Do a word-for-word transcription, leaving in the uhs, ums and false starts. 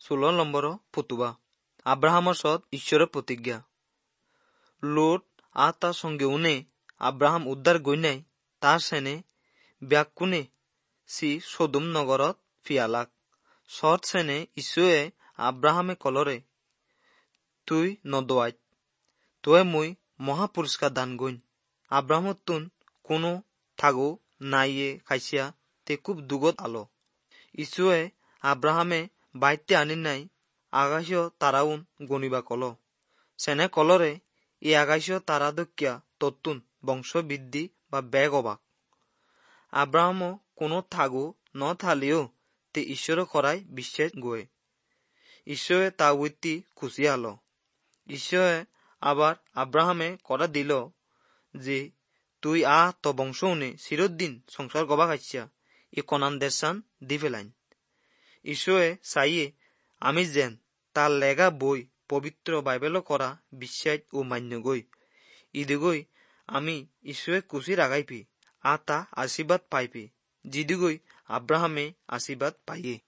ষোল্ল নম্বৰ ফতুবা আব্ৰাহামৰ সৎ ঈশ্বৰৰ প্ৰতিজ্ঞা। লোট আর তার সঙ্গে উনে আব্রাহাম উদ্ধার গইনাই তার সেনে ব্যাকুনে সি সদুম নগরত ফিয়ালাক। সৎ সেনে ঈশ্বয়ে আব্রাহামে কলরে তুই নদোয়াইত তোয়ে মুই মহা পুরস্কার দান গইন। আব্রাহামতুন কোনো থাগো নাইয়ে খাইছিয়া তে খুব দুগত আলো। ঈশ্বয়ে আব্রাহামে বাইতে আনি নাই আকাশীয় তারাউন গণিবা কল। সেনে কলরে এই আকাশীয় তারা দকিয়া তত্তুন বংশবৃদ্ধি বা বেগ অবাক। আব্রাহামও কোনো থাগো ন থালিও তে ঈশ্বর করাই বিশ্বাস গয়ে। ঈশ্বরে তা উইতি খুশি আলো। ঈশ্বরে আবার আব্রাহামে করা দিল যে তুই আ তো বংশ উনে চিরদিন সংসার গবা খাইছা ই কনান দেশান দি ফেলাইন। ঈশ্বরে চাইয়ে আমি যেন তার লেগা বই পবিত্র বাইবেল করা বিশ্বাস ও মান্য গই। ইদিগই আমি ঈশ্বরে খুশি রাগাইপি আ তা আশীর্বাদ পাইপি, যিদিগই আব্রাহামে আশীর্বাদ পাইয়ে।